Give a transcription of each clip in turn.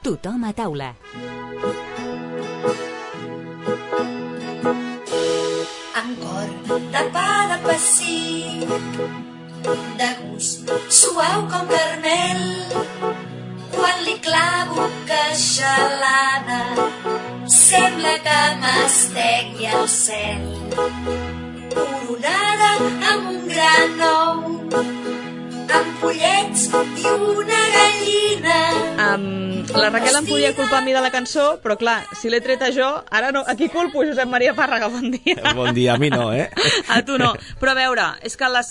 Tothom a taula. Amb cor de pa de pessic, de gust suau com carmel, quan li clavo queixalada, sembla que m'estegui al cel. Coronada amb un gran ou, amb pollets i una gallina. La Raquel em podia culpar a mi de la cançó, però clar, si l'he treta jo, ara no. A qui culpo? Josep Maria Pàrraga, bon dia. Bon dia, a mi no, A tu no. Però a veure, és que la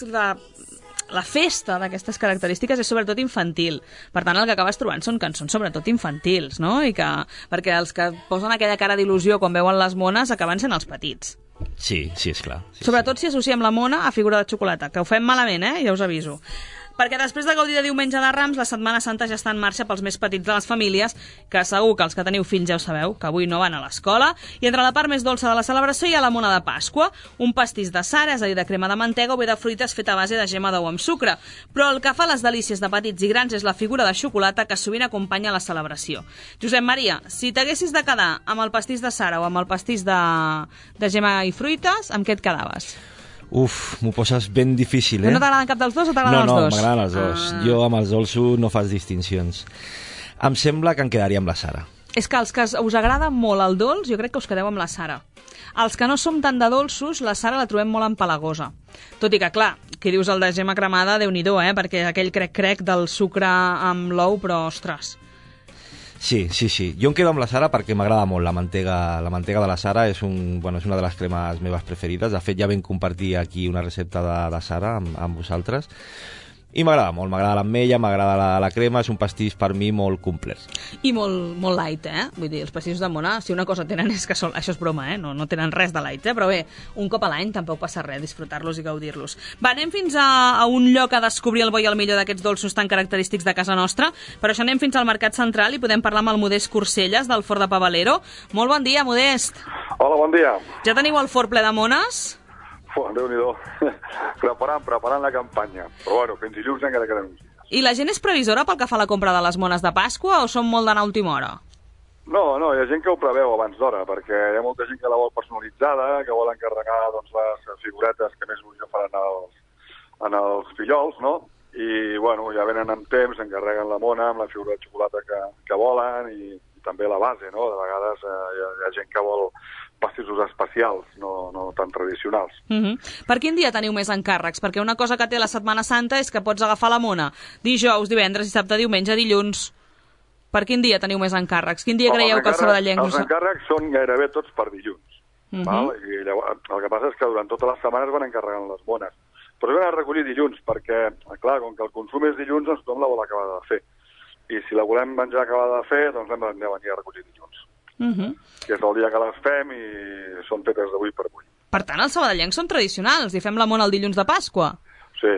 festa d'aquestes característiques és sobretot infantil. Per tant, el que acabes trobant són cançons sobretot infantils, no? Perquè els que posen aquella cara d'il·lusió quan veuen les mones acaben sent els petits. Sí, és clar. Sobretot si associem la mona a figura de xocolata, que ho fem malament, ja us aviso. Perquè després de gaudir de Diumenge de Rams, la Setmana Santa ja està en marxa pels més petits de les famílies, que segur que els que teniu fills ja ho sabeu, que avui no van a l'escola, i entre la part més dolça de la celebració hi ha la mona de Pasqua, un pastís de sara, és a dir, de crema de mantega o bé de fruites feta a base de gema d'ou amb sucre. Però el que fa les delícies de petits i grans és la figura de xocolata que sovint acompanya la celebració. Josep Maria, si t'haguessis de quedar amb el pastís de sara o amb el pastís de gema i fruites, amb què et quedaves? M'ho poses ben difícil, No t'agraden cap dels dos o t'agraden els dos? No, m'agraden els dos. Jo amb els dolços no fas distincions. Em sembla que em quedaria amb la Sara. És que els que us agrada molt el dolç, jo crec que us quedeu amb la Sara. Els que no som tant de dolços, la Sara la trobem molt empalagosa. Tot i que, clar, qui dius el de gema cremada, Déu-n'hi-do, perquè aquell crec-crec del sucre amb l'ou, però, ostres... Sí. Jo em quedo amb la Sara perquè m'agrada molt la mantega de la Sara, és una de les cremes meves preferides. De fet, ja vam compartir aquí una recepta de Sara amb vosaltres. I m'agrada molt, m'agrada l'ametlla, m'agrada la crema, és un pastís per mi molt complet. I molt light, Vull dir, els pastissos de mona, si una cosa tenen és que són... Això és broma, no tenen res de light, Però bé, un cop a l'any tampoc passa res, disfrutar-los i gaudir-los. Va, anem fins a un lloc a descobrir el bo i el millor d'aquests dolços tan característics de casa nostra. Per això anem fins al Mercat Central i podem parlar amb el Modest Corcelles, del Forn de Pavalero. Molt bon dia, Modest. Hola, bon dia. Ja teniu el forn ple de mones? Déu-n'hi-do. Preparant la campanya. Però bueno, fins dilluns encara queden uns dies. I la gent és previsora pel que fa a la compra de les mones de Pasqua o són molt d'anar a última hora? No, hi ha gent que ho preveu abans d'hora, perquè hi ha molta gent que la vol personalitzada, que vol encarregar les figuretes que més il·lusió faran en els fillols, no? I, bueno, ja venen amb temps, encarreguen la mona amb la figura de xocolata que volen i també la base, no? De vegades hi ha gent que vol pastissos especials, no tan tradicionals. Per quin dia teniu més encàrrecs? Perquè una cosa que té la Setmana Santa és que pots agafar la mona dijous, divendres, dissabte, diumenge, dilluns. Per quin dia teniu més encàrrecs? Quin dia creieu que els sabadellencs... Els encàrrecs són gairebé tots per dilluns. Val? I llavors, el que passa és que durant totes les setmanes van encarregant les mones. Però es van a recollir dilluns, perquè, clar, com que el consum és dilluns, doncs tothom la vol acabar de fer. I si la volem menjar acabada de fer, doncs hem de venir a recollir dilluns. Que és el dia que les fem i són fetes d'avui per avui. Per tant, els sabadellencs són tradicionals i fem la mona el dilluns de Pasqua. Sí.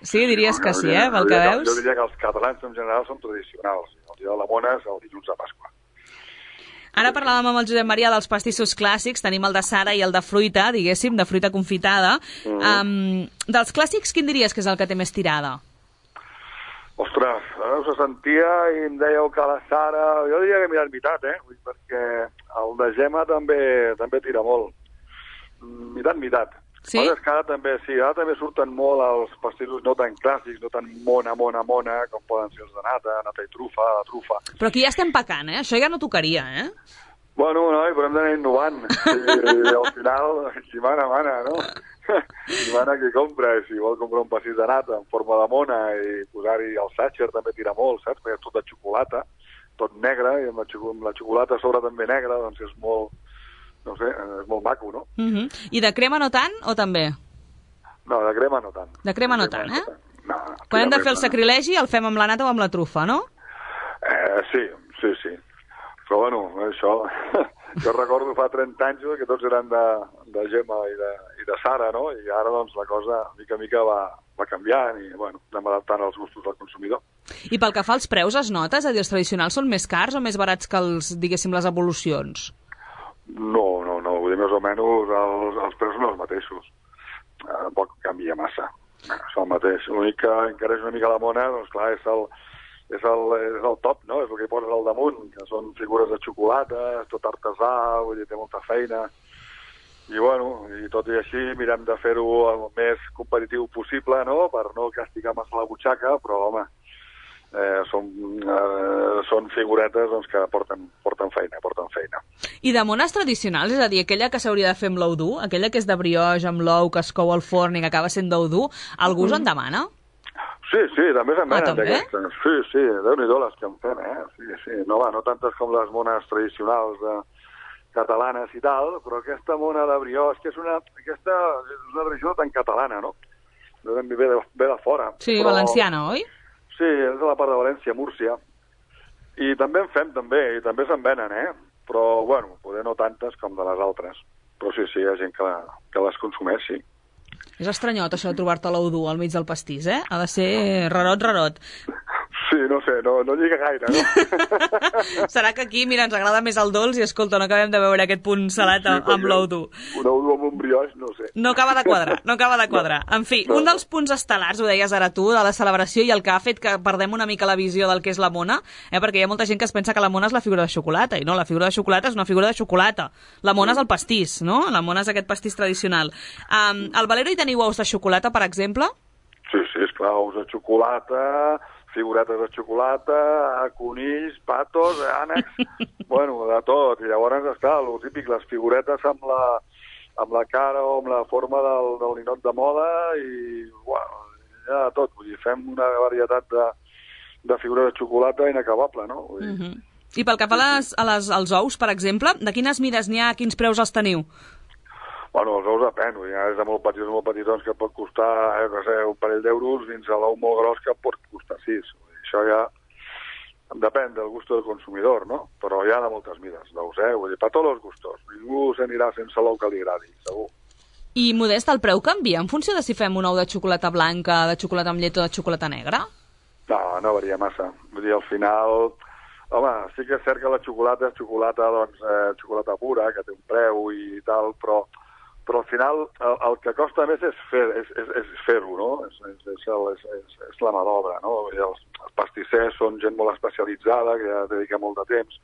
Sí, diries que sí, pel que veus? Jo diria que els catalans en general són tradicionals. El dia de la mona és el dilluns de Pasqua. Ara parlàvem amb el Josep Maria dels pastissos clàssics, tenim el de Sara i el de fruita, diguéssim, de fruita confitada. Dels clàssics, quin diries que és el que té més tirada? Ostres, ara us sentia i em dèieu que la Sara... Jo diria que mitat, perquè el de gema també tira molt. Mitat. Sí? És que ara també surten molt els pastissos no tan clàssics, no tan mona, com poden ser els de nata i trufa. Però aquí ja estem pecant, Això ja no tocaria, Bueno, però hem d'anar innovant. I al final, qui mana, no? Qui mana qui compra. I si vol comprar un pastís de nata en forma de mona i posar-hi el sàcher també tira molt, saps? Perquè és tot de xocolata, tot negre, i amb la xocolata a sobre també negra, doncs és molt... No sé, és molt maco, no? I de crema no tant, o també? No, de crema no tant. De crema no tant, No. Quan hem de fer el sacrilegi, el fem amb la nata o amb la trufa, no? Sí. Però, bueno, això... Jo recordo fa 30 anys que tots eren de gema i de Sara, no? I ara, doncs, la cosa, mica en mica, va canviant i, bueno, anem adaptant als gustos del consumidor. I pel que fa als preus, es nota? És a dir, els tradicionals són més cars o més barats que diguéssim, les evolucions? No, vull dir, més o menys els preus són els mateixos. Tampoc canvia massa. És el mateix. L'únic que encareix una mica la mona, doncs clar, és és el top, no? És el que hi poses al damunt, que són figures de xocolata, és tot artesà, vull dir, té molta feina. I, bueno, i tot i així mirem de fer-ho el més competitiu possible, no?, per no castigar massa la butxaca, però, home, són figuretes doncs, que porten feina. I de mones tradicionals, és a dir, aquella que s'hauria de fer amb l'ou dur, aquella que és de brioix, amb l'ou, que es cou al forn i que acaba sent d'ou dur, algú se'n demana? Sí, també se'n venen també? d'aquestes. Sí, Déu-n'hi-do les que en fem, Sí. No tantes com les mones tradicionals catalanes i tal, però aquesta mona de brioix, que aquesta és una tradició tan catalana, no? Ve de fora. Sí, però... valenciana, oi? Sí, és de la part de València, Múrcia. I també en fem, i també se'n venen, Però, bueno, poder no tantes com de les altres. Però sí, hi ha gent que les consumeix, sí. És estranyot, això de trobar-te l'ou dur al mig del pastís, Ha de ser rarot. Sí, no sé, no lliga gaire, no? Serà que aquí, mira, ens agrada més el dolç i, escolta, no acabem de veure aquest punt salat amb l'ou dur. Un ou dur amb un brioix, no sé. No acaba de quadrar. En fi, un dels punts estel·lars, ho deies ara tu, de la celebració i el que ha fet que perdem una mica la visió del que és la mona, perquè hi ha molta gent que es pensa que la mona és la figura de xocolata, i no, la figura de xocolata és una figura de xocolata. La mona és el pastís, no? La mona és aquest pastís tradicional. Al Valero hi teniu ous de xocolata, per exemple? Sí, esclar, ous de xocolata, figuretes de xocolata, conills, patos, ànecs, bueno, de tot. I llavors està el típic, les figuretes amb la cara o amb la forma del ninot de moda i, bueno, ja de tot. Vull dir, fem una varietat de figures de xocolata inacabable, no? Vull dir... I pel que fa als ous, per exemple, de quines mides n'hi ha, quins preus els teniu? Bueno, els ous depèn, és de molt petitons que pot costar, un parell d'euros, fins a l'ou molt gros que pot costar 6. Això ja depèn del gust del consumidor, no? Però hi ha de moltes mides d'ous, Vull dir, per tots els gustos. Ningú s'anirà sense l'ou que li agradi, segur. I, Modest, el preu canvia en funció de si fem un ou de xocolata blanca, de xocolata amb llet o de xocolata negra? No varia massa. Vull dir, al final... Home, sí que és cert que la xocolata és xocolata, doncs, xocolata pura, que té un preu i tal, però al final el que costa més és fer-ho, no? És la mà d'obra, no? Els pastissers són gent molt especialitzada, que ja dedica molt de temps,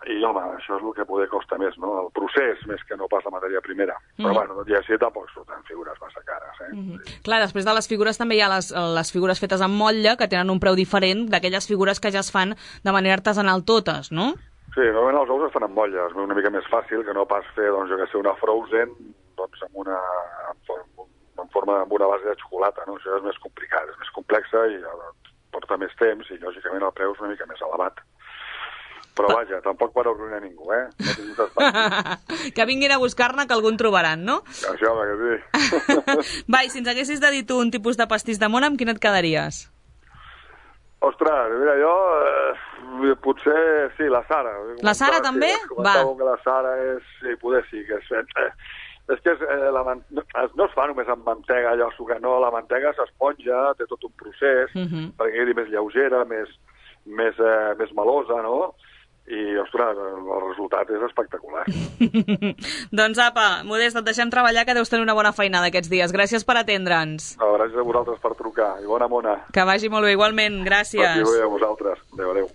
i, home, això és el que poder costa més, no? El procés, més que no pas la matèria primera. Però, bueno, tot i així tampoc surten figures massa cares, Clar, després de les figures també hi ha les figures fetes amb motlle, que tenen un preu diferent d'aquelles figures que ja es fan de manera artesanal totes, no? Sí, normalment els ous es fan amb motlle, és una mica més fàcil que no pas fer, doncs, jo que sé, una frozen, doncs, amb una base de xocolata, no? Això és més complicat, és més complexa i porta més temps i, lògicament, el preu és una mica més elevat. Però, vaja, tampoc per arruïnar ningú, No tinguis espaci. Que vinguin a buscar-ne, que algun trobaran, no? Això, home, que sí. Va, i si ens haguessis de dir tu un tipus de pastís de mona, amb quin et quedaries? Ostres, mira, jo... potser, sí, la Sara. La Sara també? Va. Que la Sara és... Sí, poder sí, que és... És que no es fa només amb mantega, allò sucat, no, la mantega s'esponja, té tot un procés, perquè quedi més lleugera, més melosa, no? I, ostres, el resultat és espectacular. Doncs apa, Modest, et deixem treballar, que deus tenir una bona feinada aquests dies. Gràcies per atendre'ns. No, gràcies a vosaltres per trucar, i bona mona. Que vagi molt bé, igualment, gràcies. Vagi bé a vosaltres. Adéu.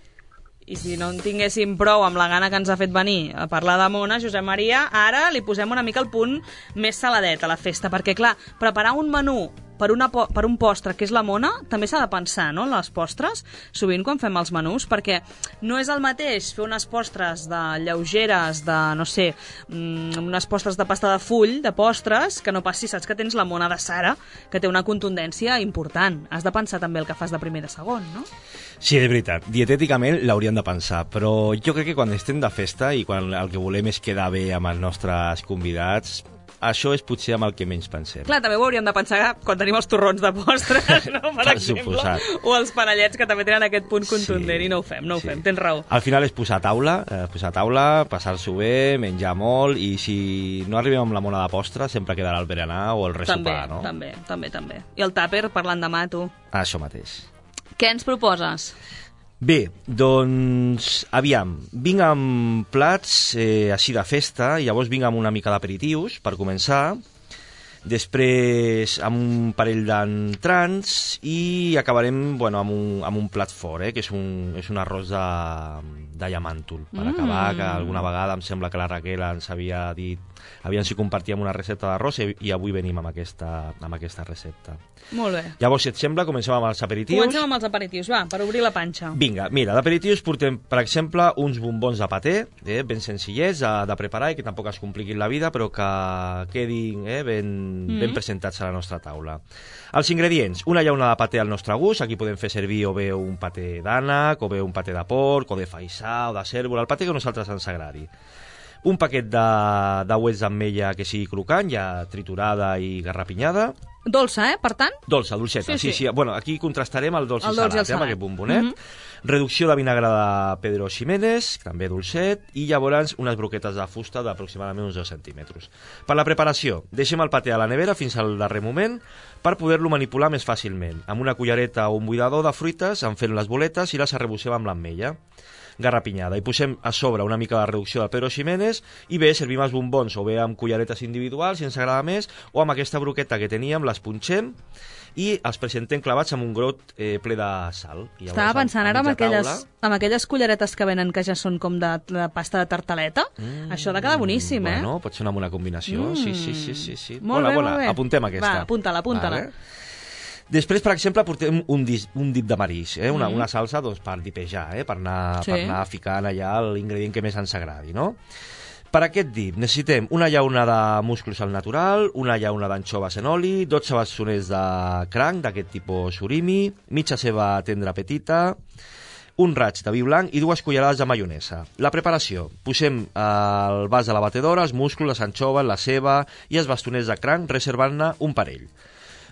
I si no en tinguéssim prou amb la gana que ens ha fet venir a parlar de mona, Josep Maria, ara li posem una mica el punt més saladet a la festa, perquè, clar, preparar un menú per un postre que és la mona, també s'ha de pensar, no?, en les postres, sovint quan fem els menús, perquè no és el mateix fer unes postres de lleugeres, de, no sé, unes postres de pasta de full, de postres, que no pas si saps que tens la mona de Sara, que té una contundència important. Has de pensar també el que fas de primer i de segon, no? Sí, és veritat. Dietèticament l'hauríem de pensar, però jo crec que quan estem de festa i quan el que volem és quedar bé amb els nostres convidats, això és potser amb el que menys pensem. Clar, també ho hauríem de pensar quan tenim els torrons de postres, no? Per exemple, o els panellets, que també tenen aquest punt contundent, i no ho fem, tens raó. Al final és posar taula, passar-s'ho bé, menjar molt, i si no arribem amb la mona de postre, sempre quedarà el berenar o el ressopar, no? També. I el tàper, per l'endemà, tu. Això mateix. Què ens proposes? Bé, doncs, aviam, vinc amb plats així de festa, i llavors vinc amb una mica d'aperitius, per començar. després amb un parell d'entrants i acabarem amb un plat fort, que és un arròs de llamàntol, per acabar, que alguna vegada em sembla que la Raquel ens havia dit, aviam si compartíem una recepta d'arròs i avui venim amb aquesta recepta. Molt bé. Llavors, si et sembla, comencem amb els aperitius. Comencem amb els aperitius, va, per obrir la panxa. Vinga, mira, d'aperitius portem, per exemple, uns bombons de paté, ben senzillets de preparar i que tampoc es compliquin la vida, però que quedin ben presentats a la nostra taula. Els ingredients, una llauna de paté al nostre gust, aquí podem fer servir o bé un paté d'ànec, o bé un paté de porc, o de faisà, o de cérvol, el paté que a nosaltres ens agradi. Un paquet de uets d'ametlla que sigui crocant, ja triturada i garrapinyada. Dolça, per tant? Dolça, dolceta, sí. Bueno, aquí contrastarem el dolç i salat, amb aquest bombonet. Reducció de vinagre de Pedro Ximénez, també dolcet, i llavors unes broquetes de fusta d'aproximadament uns 2 centímetres. Per la preparació, deixem el paté a la nevera fins al darrer moment per poder-lo manipular més fàcilment. Amb una cullereta o un buidador de fruites, en fent les boletes i les arrebossem amb l'ametlla garrapinyada. I posem a sobre una mica de reducció de Pedro Ximénez i bé, servim els bombons o bé amb culleretes individuals, si ens agrada més, o amb aquesta broqueta que teníem, les punxem i els presentem clavats amb un grot ple de sal. I estava pensant ara amb aquelles culleretes que venen que ja són com de pasta de tartaleta. Això ha de quedar boníssim, Bueno, pot ser una bona combinació. Sí. Molt bé. Apuntem aquesta. Va, apunta-la. Vale. Després, per exemple, portem un dit de marís, una salsa per dipejar, per anar ficant allà l'ingredient que més ens agradi, no? Per aquest dit necessitem una llauna de musclos al natural, una llauna d'anxoves en oli, 12 bastoners de cranc d'aquest tipus surimi, mitja ceba tendra petita, un raig de vi blanc i 2 cullerades de maionesa. La preparació. Posem al vas de la batedora els musclos, les anxoves, la ceba i els bastoners de cranc, reservant-ne un parell.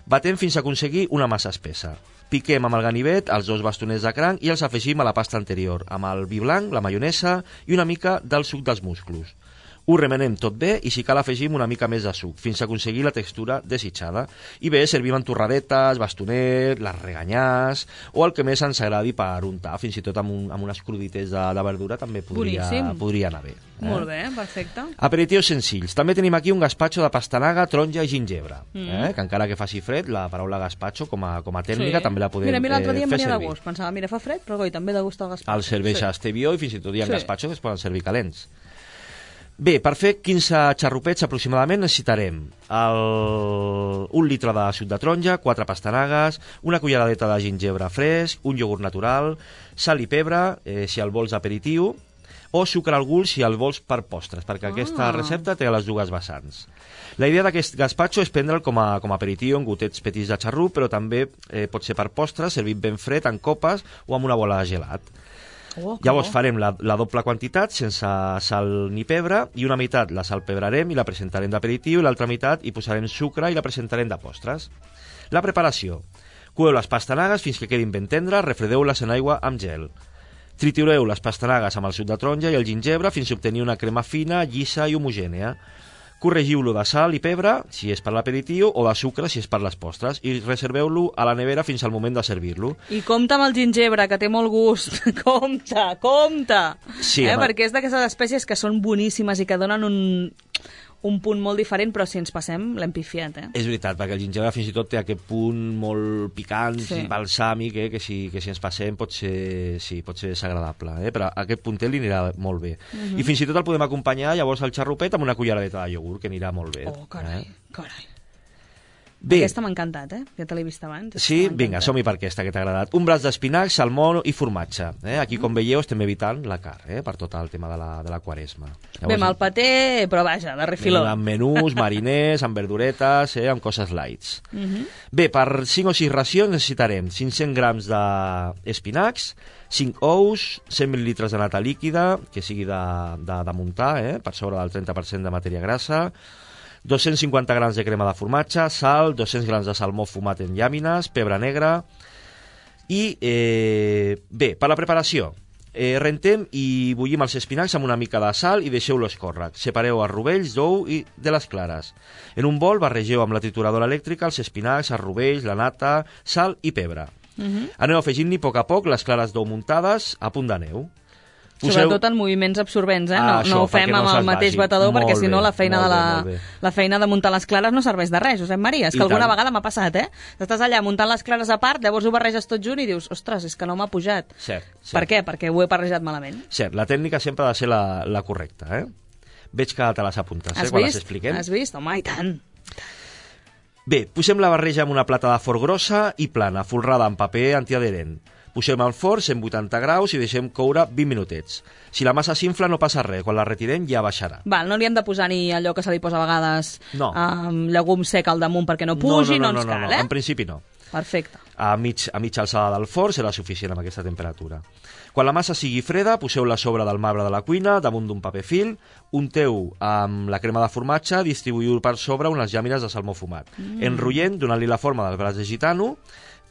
Batem fins a aconseguir una massa espessa. Piquem amb el ganivet els 2 bastoners de cranc i els afegim a la pasta anterior, amb el vi blanc, la maionesa i una mica del suc dels musclos. Ho remenem tot bé i si cal afegim una mica més de suc, fins a aconseguir la textura desitjada. I bé, servim amb torradetes, bastonet, les reganyars, o el que més ens agradi per untar, fins i tot amb unes crudites de verdura també podria anar bé. Molt bé, perfecte. Aperitius senzills. També tenim aquí un gaspatxo de pastanaga, taronja i gingebre, que encara que faci fred, la paraula gaspatxo com a tècnica també la podem fer servir. Mira, l'altre dia em venia de gust, pensava, mira, fa fred, però també de gust el gaspatxo. El serveix a Estevió i fins i tot hi ha gaspatxos que es poden servir calents. Bé, per fer 15 xarrupets aproximadament necessitarem 1 litre de suc de taronja, 4 pastanagues, una culleradeta de gingebre fresc, un iogurt natural, sal i pebre, si el vols aperitiu, o sucre al gust si el vols per postres, perquè aquesta recepta té les dues vessants. La idea d'aquest gaspatxo és prendre'l com a aperitiu, en gotets petits de xarrup, però també pot ser per postres, servit ben fred, en copes o amb una bola de gelat. Llavors farem la doble quantitat sense sal ni pebre i una meitat la salpebrarem i la presentarem d'aperitiu i l'altra meitat hi posarem sucre i la presentarem de postres. La preparació. Coeu les pastanagues fins que quedin ben tendres, refredeu-les en aigua amb gel. Tritureu les pastanagues amb el suc de taronja i el gingebre fins a obtenir una crema fina, llisa i homogènia. Corregiu-lo de sal i pebre, si és per l'aperitiu, o de sucre, si és per les postres, i reserveu-lo a la nevera fins al moment de servir-lo. I compte amb el gingebre, que té molt gust. Compte! Sí, perquè és d'aquestes espècies que són boníssimes i que donen un punt molt diferent, però si ens passem l'hem pifiat, És veritat, perquè el gingebre fins i tot té aquest punt molt picant, balsàmic, que si ens passem pot ser desagradable, però aquest puntet li anirà molt bé. I fins i tot el podem acompanyar llavors al xarrupet amb una culleradeta de iogurt, que anirà molt bé. Oh, carai. Bé. Aquesta m'ha encantat, ja te l'he vist abans. Sí? Vinga, som-hi per aquesta que t'ha agradat. Un braç d'espinacs, salmó i formatge. Aquí, com veieu, estem evitant la carn, per tot el tema de la quaresma. Llavors, bé, amb el paté, però vaja, de refiló. Amb menús, mariners, amb verduretes, amb coses lights. Bé, per 5 o 6 racions necessitarem 500 grams d'espinacs, 5 ous, 100 mil·lilitres de nata líquida, que sigui de muntar, per sobre del 30% de matèria grassa, 250 grams de crema de formatge, sal, 200 grams de salmó fumat en llàmines, pebre negre i, bé, per la preparació, rentem i bullim els espinacs amb una mica de sal i deixeu-los córrer. Separeu els rovells d'ou i de les clares. En un bol barregeu amb la trituradora elèctrica els espinacs, els rovells, la nata, sal i pebre. Aneu afegint-hi a poc les clares d'ou muntades a punt de neu. Sobretot en moviments absorbents, no això, ho fem perquè no amb el se'ls mateix vagi. batedor, Molt perquè si no bé, la feina molt bé. la feina de muntar les clares no serveix de res, Josep Maria. És I que alguna tant. vegada m'ha passat, Estàs allà muntant les clares a part, llavors ho barreges tot junt i dius, ostres, és que no m'ha pujat. Cert. Per què? Perquè ho he barrejat malament. Cert, la tècnica sempre ha de ser la correcta, Veig que te les apuntes, quan les expliquem. Has vist? Home, i tant. Bé, posem la barreja en una plata de forn grossa i plana, folrada amb paper antiadherent. Posem al forn 180 graus i deixem coure 20 minutets. Si la massa s'infla no passa res, quan la retirem ja baixarà. Val, no li hem de posar ni allò que se li posa a vegades No. llegum sec al damunt perquè no pugi, no ens cal, en principi no. Perfecte. A mitja alçada del forn serà suficient amb aquesta temperatura. Quan la massa sigui freda, poseu-la a sobre del marbre de la cuina, damunt d'un paper fil, unteu amb la crema de formatge, distribuïu per sobre unes llàmines de salmó fumat. Enrotllent, donant-li la forma del braç de gitano,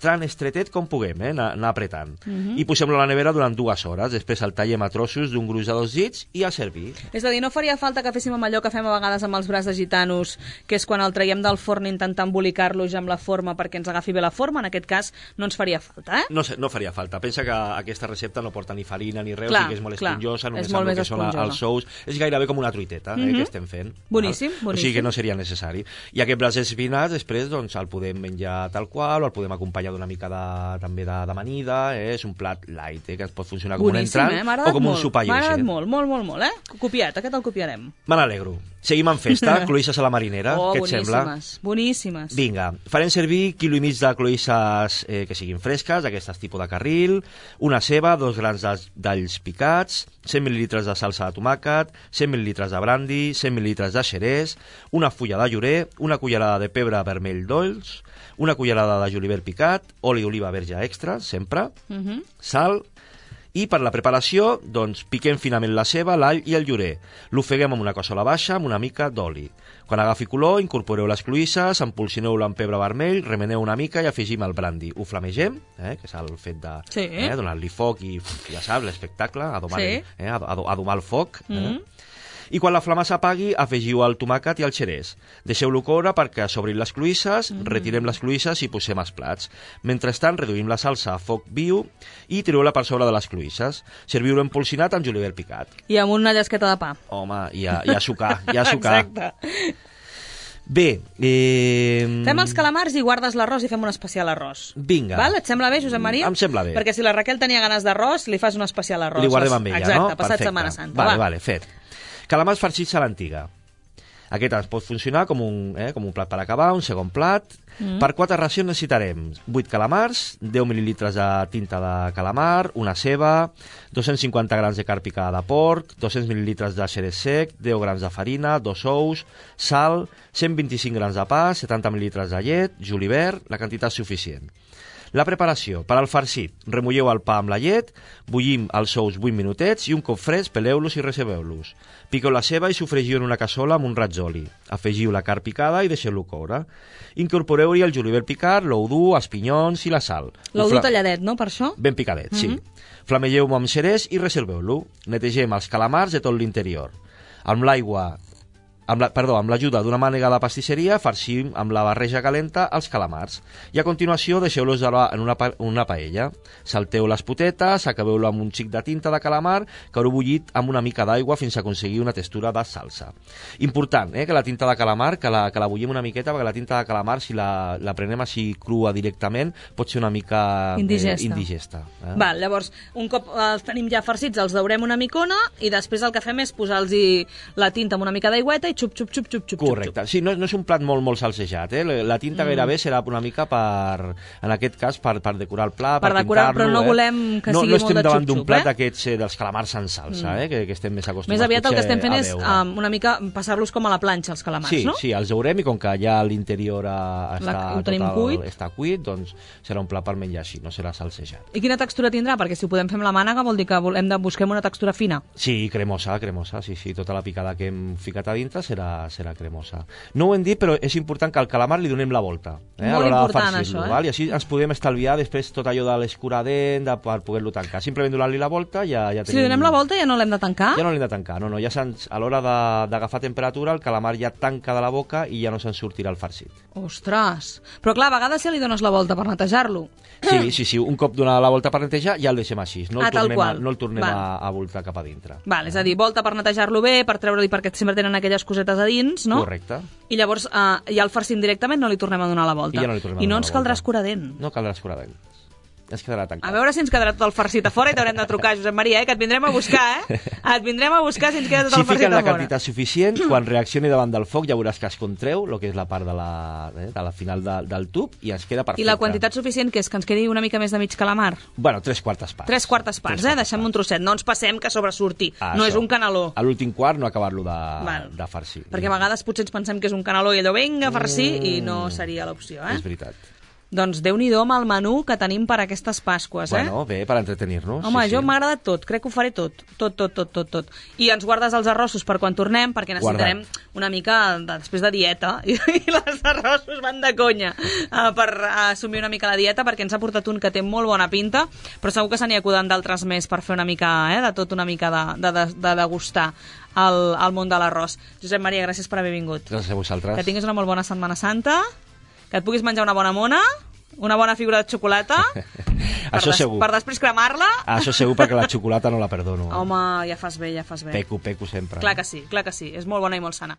tan estretet com puguem, anar apretant. I posem-lo a la nevera durant 2 hores. Després el tallem a trossos d'un gruix de 2 dits i a servir. És a dir, no faria falta que féssim amb allò que fem a vegades amb els braç de gitanos, que és quan el traiem del forn intentar embolicar-lo ja amb la forma perquè ens agafi bé la forma. En aquest cas no ens faria falta, No faria falta. Pensa que aquesta recepta no porta ni farina ni res, Clar, que és molt clar, esponjosa, només és molt amb el més que són esponjosa. els sous. És gairebé com una truiteta que estem fent. Boníssim, O sigui boníssim. que no seria necessari. I aquest braç espinats després doncs, el podem menjar tal qual o el podem acompanyar d'una mica també d'amanida, és un plat light, que ens pot funcionar com Boníssim, un entrant o com un sopar M'ha agradat lleuger. molt, Copiat, aquest el copiarem. Me n'alegro. Seguim en festa, cloïsses a la marinera, què et sembla? Boníssimes. Vinga, farem servir 1,5 quilo de cloïsses que siguin fresques, d'aquestes tipus de carril, una ceba, 2 grans d'alls picats, 100 mil·lilitres de salsa de tomàquet, 100 mil·lilitres de brandi, 100 mil·lilitres de xerès, una fulla de llorer, una cullerada de pebre vermell dolç, una cullerada de julivert picat, oli d'oliva verge extra, sempre, sal, i per la preparació, doncs, piquem finament la ceba, l'all i el llorer. L'ofeguem amb una cassola baixa amb una mica d'oli. Quan agafi color, incorporeu les cloïsses, empolsineu-la amb pebre vermell, remeneu una mica i afegim el brandi. Ho flamegem, que és el fet de donar-li foc i, ja saps, l'espectacle, a domar el foc. I quan la flama s'apagui, afegiu el tomàquet i el xerès. Deixeu-lo coure perquè s'obrin les cloïsses, retirem les cloïsses i posem els plats. Mentrestant, reduïm la salsa a foc viu i tireu-la per sobre de les cloïsses. Serviu-lo empolsinat amb julivert picat. I amb una llesqueta de pa. Home, i a sucar, Exacte. Bé, fem els calamars i guardes l'arròs i fem un especial arròs. Vinga. Val? Et sembla bé, Josep Maria? Em sembla bé. Perquè si la Raquel tenia ganes d'arròs, li fas un especial arròs. Li guardem amb ella, Exacte, no? passat Perfecte. Setmana Santa. Vale, fet. Calamars farcits a l'antiga. Aquest ens pot funcionar com un plat per acabar, un segon plat. Per 4 racions necessitarem 8 calamars, 10 mil·lilitres de tinta de calamar, una ceba, 250 grams de carn picada de porc, 200 mil·lilitres de xerès sec, 10 grams de farina, 2 ous, sal, 125 grams de pa, 70 mil·lilitres de llet, julivert, la quantitat suficient. La preparació. Per al farcit, remulleu el pa amb la llet, bullim els ous 8 minutets i un cop fresc peleu-los i reserveu-los. Piqueu la ceba i sofregiu en una cassola amb un raig d'oli. Afegiu la carn picada i deixeu-lo coure. Incorporeu-hi el julivert picat, l'ou dur, els pinyons i la sal. L'ou dur talladet, no, per això? Ben picadet, sí. Flamegeu-ho amb xerès i reserveu-lo. Netegem els calamars de tot l'interior. Amb l'ajuda d'una mànega de pastisseria, farcim amb la barreja calenta els calamars. I a continuació deixeu-los en una paella. Salteu les potetes, acabeu-lo amb un xic de tinta de calamar que haureu bullit amb una mica d'aigua fins a aconseguir una textura de salsa. Important, que la tinta de calamar, que la bullim una miqueta, perquè la tinta de calamar, si la prenem així crua directament, pot ser una mica indigesta. Val, llavors, un cop els tenim ja farcits, els daurem una micona i després el que fem és posar-los la tinta amb una mica d'aigüeta i xup. Correcte. Sí, no és un plat molt salsejat, La tinta gairebé serà una mica en aquest cas, per decorar el plat, per decorar, però no volem que sigui molt de xup-xup, No estem davant d'un plat d'aquests dels calamars en salsa, que estem més acostumats. Més aviat el que estem fent és una mica passar-los com a la planxa, els calamars, no? Sí, els daurem i com que ja l'interior està cuit, doncs serà un plat per menjar així, no serà salsejat. I quina textura tindrà? Perquè si ho podem fer amb la mànega vol dir que busquem una textura fina. Sí, cremosa, sí, tota la picada que hem ficat a dintre serà cremosa. No ho hem dit, però és important que al calamar li donem la volta. Molt important, això, val? I així ens podem estalviar després tot allò de l'escuradent per poder-lo tancar. Simplement donant-li la volta ja tenim... Si li donem la volta ja no l'hem de tancar? Ja no l'hem de tancar, no. Ja a l'hora d'agafar temperatura el calamar ja tanca de la boca i ja no se'n sortirà el farcit. Ostres! Però clar, a vegades ja li dones la volta per netejar-lo. Sí. Un cop donar la volta per netejar ja el deixem així. No el tornem a voltar cap a dintre. Val, és a dir, volta per netejar-lo bé, per treure-li perquè sempre tenen aquelles cosetes a dins, no? Correcte. I llavors ja el farcim directament, no li tornem a donar la volta. I no ens caldrà escuradent. No caldrà escuradent. Es quedarà tancat. A veure si ens quedarà tot el farcit a fora i t'haurem de trucar, Josep Maria, que et vindrem a buscar, Et vindrem a buscar si ens queda tot el farcit a fora. Si fiquen la quantitat suficient, quan reaccioni davant del foc ja veuràs que es contreu, el que és la part de la final del tub, i ens queda perfecte. I la quantitat suficient que és que ens quedi una mica més de mig calamar? Bueno, 3/4 parts. 3/4 parts, deixem un trosset, no ens passem que sobresurti. No és un canaló. A l'últim quart no acabar-lo de farcir. Perquè a vegades potser ens pensem que és un canaló i allò vinga a farcir i no seria l'opció, És veritat. Doncs Déu-n'hi-do amb el menú que tenim per aquestes Pasques, Bueno, bé, per entretenir-nos. Home, jo m'ha agradat tot, crec que ho faré tot. Tot. I ens guardes els arrossos per quan tornem, perquè necessitarem una mica, després de dieta, i els arrossos van de conya, per assumir una mica la dieta, perquè ens ha portat un que té molt bona pinta, però segur que se n'hi acuden d'altres més per fer una mica, de tot, una mica de degustar el món de l'arròs. Josep Maria, gràcies per haver vingut. Gràcies a vosaltres. Que tinguis una molt bona Setmana Santa, que et puguis menjar una bona mona, una bona figura de xocolata, això segur. Per després cremar-la. Això segur, perquè la xocolata no la perdono. Home, ja fas bé. Peco sempre. Clar que sí, és molt bona i molt sana.